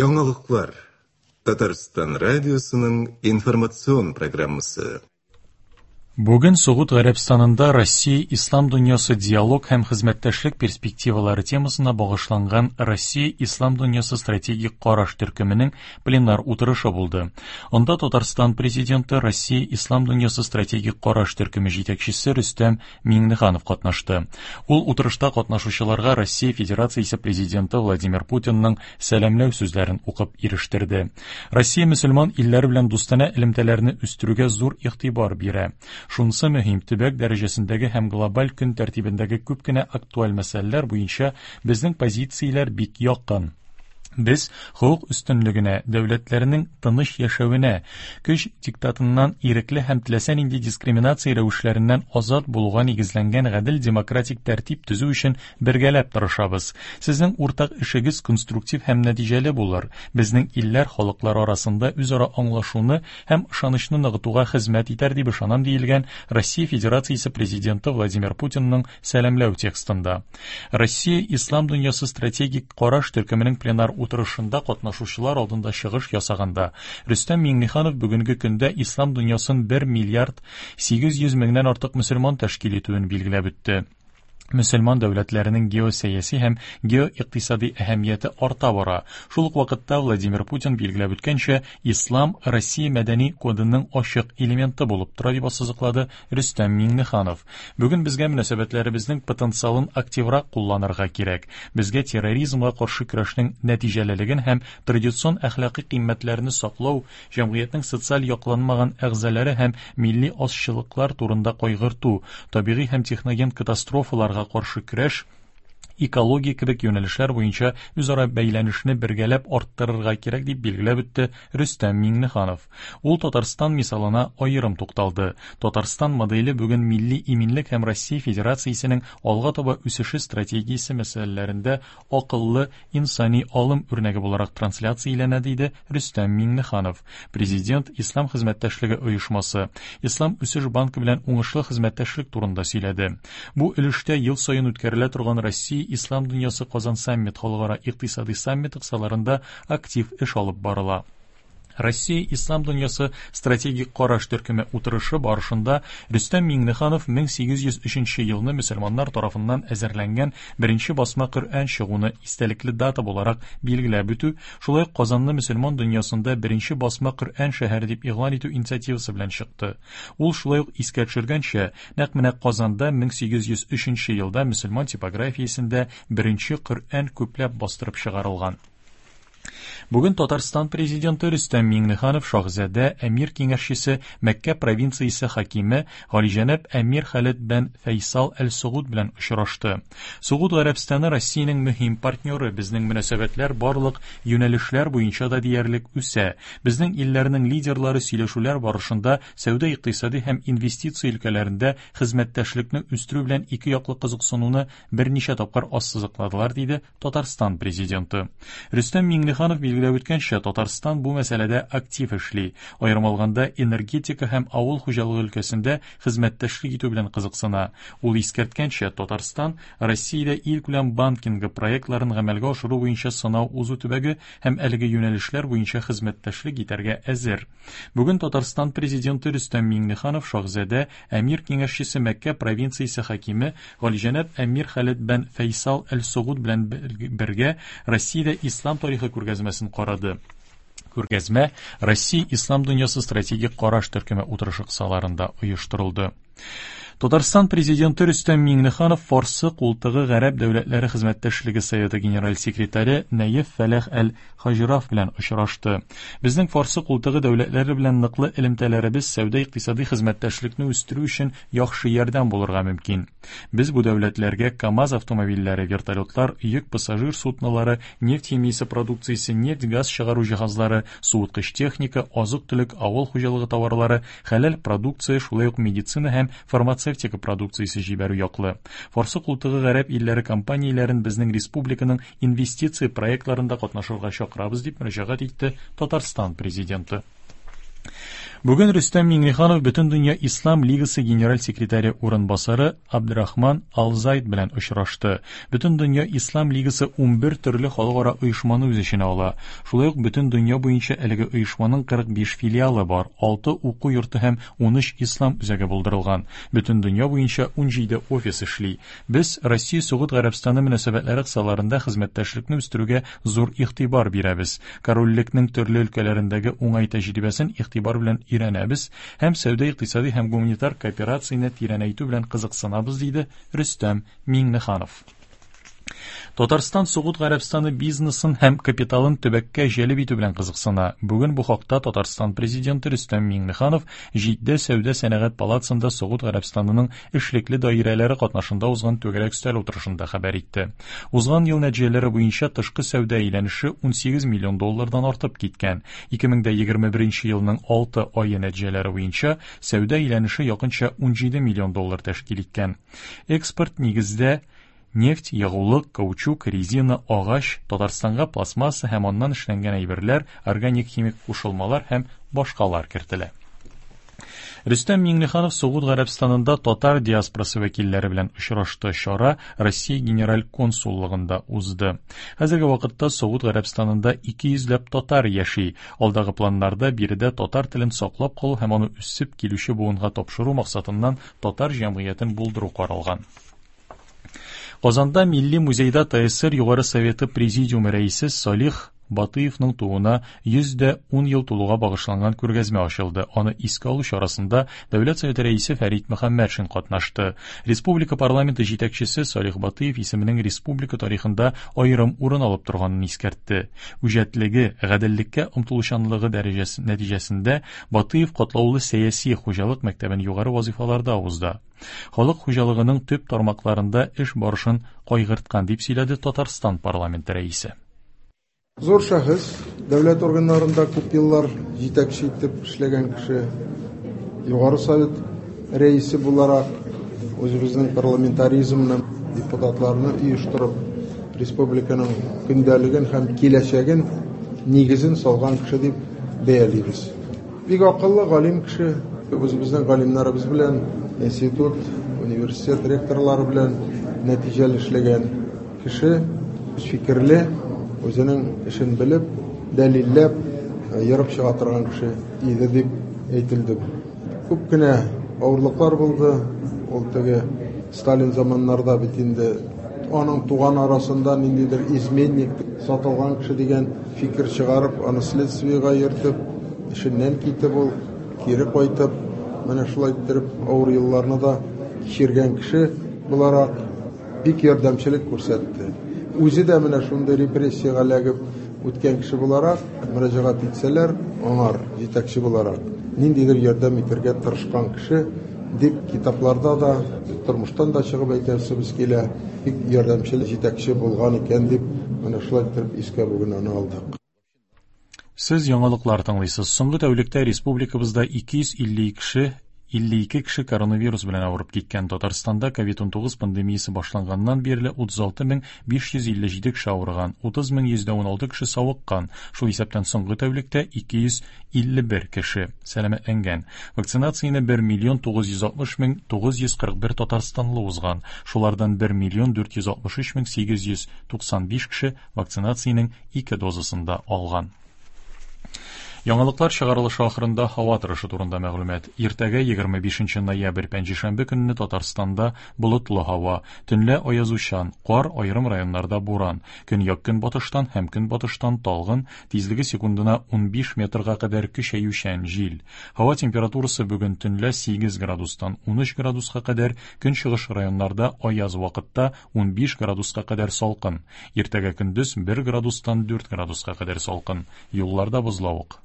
Яңалыклар. Татарстан радиосының информацион программасы. Бүген Согуд Гарәбстанында Россия ислам дөньясы диалог һәм хезмәттәшлек перспективалары темасына багышланган Россия ислам дөньясы стратегик караш төркеменең пленар утырышы булды. Анда Татарстан президенты Россия ислам дөньясы стратегик караш төркеме җитәкчесе Рөстәм Миңнеханов катнашты. Ул утырышта катнашучыларга Россия Федерациясе президенты Владимир Путинның сәламләү сүзләрен укып ирештерде. Россия мөселман илләре белән дустанә элемтәләрне үстерүгә зур игътибар бирә. Шунысы мөһим, төбәк дәрәҗәсендәге һәм глобаль көн тәртибендәге күп кенә актуаль мәсьәләләр буенча безнең позицияләр бик якын. Без хокук өстенлегенә, дәүләтләрнең тыныч яшәвенә, көч диктатыннан ирекле һәм теләсә нинди дискриминация рәвешләреннән азат булуга нигезләнгән гадел демократик тәртип төзү өчен бергәләп тырышабыз. Сезнең уртак эшегез конструктив һәм нәтиҗәле булыр, безнең илләр халыклары арасында үзара аңлашуны һәм ышанычны ныгытуга хезмәт итәр дип ышанам, диелгән Россия Федерациясе Президенты Владимир Путинның сәламләү текстында. Россия Ислам дөньясы стратегик караш төркеменең пленар утырышында катнашучылар алдында чыгыш ясаганда, Рөстәм Миңнеханов бүгенге көндә ислам дөньясын 1 миллиард 800 меңнән артык мөселман тәшкил итүен билгеләп үтте. Мөселман дәүләтләренең геосәяси һәм геоикътисади әһәмияте арта бара. Шул ук вакытта Владимир Путин билгеләп үткәнчә, ислам Россия мәдәни кодының ачык элементы булып тора, дип ассызыклады Рөстәм Миңнеханов. Бүген безгә мөнәсәбәтләребезнең потенциалын активрак кулланырга кирәк. Безгә терроризмга каршы көрәшнең нәтиҗәлелеген һәм традицион әхлакый кыйммәтләрне саклау, җәмгыятьнең социаль якланмаган әгъзалары һәм милли азчылыклар турында кайгырту, табигый һәм техноген катастрофаларга каршы көрәш, экология кебек юнәлешләр буенча үзара бәйләнешне бергәләп арттырырга кирәк, дип билгеләп үтте Рөстәм Миңнеханов. Ул Татарстан мисалына аерым тукталды. Татарстан моделе бүген милли иминлек һәм Россия Федерациясенең алга таба үсеше стратегиясе мәсьәләләрендә акыллы инсани алым үрнәге буларак трансляцияләнә, диде Рөстәм Миңнеханов. Президент Ислам хезмәттәшлеге оешмасы, Ислам үсеш банкы белән уңышлы хезмәттәшлек турында сөйләде. Бу өлештә ел саен үткәрелә торган Россия Ислам дөньясы Казан саммит халыкара икътисади саммиты кысаларында актив эш алып барыла. Россия Ислам дөньясы стратегик караш төркеме утырышы барышында Рөстәм Миңнеханов 1803 елны мөселманнар тарафыннан әзерләнгән беренче басма Коръән чыгуны истәлекле дата буларак билгеләп үтү, шулай ук Казанны мөселман дөньясында беренче басма Коръән шәһәре дип игълан итү инициативасы белән чыкты. Ул шулай ук искә төшергәнчә, нәкъ менә Казанда 1803 елда мөселман типографиясендә беренче Коръән күпләп бастырып чыгарылган. Бүген Татарстан президенты Рөстәм Миңнеханов шаһзадә, әмир киңәшчесе, Мәккә провинциясе хакиме Галиҗәнәп әмир Халид бән Фәйсал әл-Согуд белән очрашты. Согуд Гарәбстаны Россиянең мөһим партнеры, безнең мөнәсәбәтләр барлык юнәлешләр буенча да диярлек үсә. Безнең илләрнең лидерлары сөйләшүләр барышында сәүдә-икътисади һәм инвестиция өлкәләрендә хезмәттәшлекне үстерү белән ике яклы кызыксынуны берничә тапкыр ассызыкладылар, диде Татарстан Президенты. Рөстәм Миңнеханов билгеләп үткәнчә, Татарстан бу мәсьәләдә актив эшли. Аерым алганда, энергетика һәм авыл хуҗалыгы өлкәсендә хезмәттәшлек итү белән кызыксына. Ул искәрткәнчә, Татарстан Россиядә илкүләм банкингы проектларын гамәлгә ашыру буенча сынау узу төбәге һәм әлеге юнәлешләр буенча хезмәттәшлек итәргә әзер. Бүген Татарстан Президенты Рөстәм Миңнеханов шаһзадә, әмир киңәшчесе Мәккә провинциясе хакиме Галиҗәнәп әмир Халид бән Фәйсал әл-Согуд белән бергә Россиядә ислам тарихы күргәзмәсен карады. Күргәзмә Россия ислам дөньясы стратегик караш төркеме утырышы кысаларында оештырылды. Татарстан президенты Рөстәм Миңнеханов Фарсы култыгы гарәп дәүләтләре хезмәттәшлеге советы генераль секретаре Нәеф Фәләх әл-Хаҗраф белән очрашты. Безнең Фарсы култыгы дәүләтләре белән ныклы элемтәләребез сәүдә-икътисади хезмәттәшлекне үстерү өчен яхшы ярдәм булырга мөмкин. Без бу дәүләтләргә КАМАЗ автомобильләре, вертолетлар, йөк-пассажир суднолары, нефть химиясе продукциясе, нефть-газ чыгару җиһазлары, суыткыч техника, азык-төлек, авыл хуҗалыгы товарлары, хәләл продукция, шулай ук медицина һәм фармацевтика продукциясе җибәрү яклы. Фарсы култыгы гарәп илләре компанияләрен безнең республиканың инвестиция проектларында катнашырга чакырабыз, дип мөрәҗәгать итте Татарстан Президенты. Бүген Рөстәм Миңнеханов Бөтендөнья Ислам Лигасы генераль секретаре урынбасары Абдрахман Алзайд белән очрашты. Бөтендөнья Ислам Лигасы 11 төрле халыкара оешманы үз эченә ала. Шулай ук бөтен дөнья буенча әлеге оешманың 45 филиалы бар, 6 уку йорты һәм 13 ислам үзәге булдырылган. Бөтен дөнья буенча 17 офис эшли. Без Россия-Согуд Гарәбстаны мөнәсәбәтләре кысаларында хезмәттәшлекне үстерүгә зур игътибар бирәбез. Корольлекнең төрле өлкәләрендәге уңай тәҗрибәсен игътибар белән өйрәнәбез һәм сәүдә-икътисади һәм гуманитар кооперацияне тирәнәйтү белән кызыксынабыз, диде Рөстәм Миңнеханов. Татарстан Согуд Гарәбстаны бизнесын һәм капиталын төбәккә җәлеп итү белән кызыксына. Бүген бу хакта Татарстан Президенты Рөстәм Миңнеханов Җиддә сәүдә-сәнәгать палатасында Согуд Гарәбстанының эшлекле даирәләре катнашында узган түгәрәк өстәл утырышында хәбәр итте. Узган ел нәтиҗәләре буенча тышкы сәүдә әйләнеше 18 миллион доллардан артып киткән. 2021 елның 6 ае нәтиҗәләре буенча сәүдә әйләнеше якынча 17 миллион доллар тәшкил иткән. Экспорт нигездә нефть, ягулык, каучук, резина, агач, Татарстанга пластмасса һәм аннан эшләнгән әйберләр, органик химик кушылмалар һәм башкалар кертелә. Рөстәм Миңнеханов Согуд Гарәбстанында татар диаспорасы вәкилләре белән очрашты. Чара Россия Генераль консуллыгында узды. Хәзерге вакытта Согуд Гарәбстанында 200 ләп татар яши. Алдагы планнарда биредә татар телен саклап калу һәм аны үсеп килүче буынга тапшыру максатыннан татар җәмгыятен булдыру каралган. Казанда Милли музейда ТСР Югары Советы Президиумы рәисе Салих Батыевның тууына 110 ел тулуга багышланган күргәзмә ачылды. Аны искә алу чарасында Дәүләт Советы рәисе Фәрит Мөхәммәтшин катнашты. Республика парламенты җитәкчесе Салих Батыев исеменең республика тарихында аерым урын алып торганын искәртте. Үҗәтлеге, гаделлеккә омтылучанлыгы дәрәҗәсе нәтиҗәсендә Батыев катлаулы сәяси хуҗалык мәктәбен югары вазифаларда узды. Халык хуҗалыгының төп тармакларында эш барышын кайгырткан, дип сөйләде Татарстан парламенты рәисе. Зур шәхес, дәүләт органнарында күп еллар җитәкче итеп эшләгән кеше, Югары Совет рәисе буларак үзебезнең парламентаризмны, депутатларны оештырып, республиканың көндәлеген һәм киләчәген нигезен салган кеше дип бәялибез. Бик акыллы, галим кеше, үзебезнең галимнәребез белән, институт, университет ректорлары белән нәтиҗәле эшләгән кеше, фикерле, үзенең эшен белеп, дәлилләп, ерып чыга торган кеше иде дип әйтелде. Күп кенә авырлыклар булды. Ул теге Сталин заманнарда бит инде аның туган арасында ниндидер изменник, сатылган кеше дигән фикер чыгарып, аны следствиегә йөртеп, эшеннән китеп ул, кире кайтып, менә шулай иттереп авыр елларны да кичергән кеше буларак бик ярдәмчелек күрсәтте. Үзе дә менә шундый репрессиягә эләгеп үткән кеше буларак, мөрәҗәгать итсәләр, аңар җитәкче буларак ниндидер ярдәм итәргә тырышкан кеше дип китапларда да, тормыштан да чыгып әйтәсебез килә, бик ярдәмчел җитәкче булган икән дип, менә шулай иттереп искә бүген аны алдык. Сез яңалыклар тыңлыйсыз. Соңгы тәүлектә республикабызда 252 52 кеше коронавирус белән авырып киткән. Татарстанда COVID-19 пандемиясе башланганнан бирле 36557 кеше авырган, 30116 кеше савыккан. Шул исәптән соңгы тәүлектә 251 кеше сәламәтләнгән. Вакцинацияне 1 миллион 960 мең 941 татарстанлы узган. Шулардан 1 миллион 463 мең 895 кеше вакцинациянең ике дозасын да алган. Яңалыклар чыгарылышы ахырында һава торышы турында мәгълүмат. Иртәгә 25 ноябрь пәнҗешәмбе көнне Татарстанда болытлы һава, төнлә аязучан, кар, аерым районнарда буран, көньяк-көнбатыштан һәм көнбатыштан талгын, тизлеге секундына 15 метрга кадәр көчәючән җил. Һава температурасы бүген төнлә 8 градустан 13 градуска кадәр, көнчыгыш районнарда аяз вакытта 15 градуска кадәр салкын. Иртәгә көндез 1 градустан 4 градуска кадәр салкын. Юлларда бозлавык.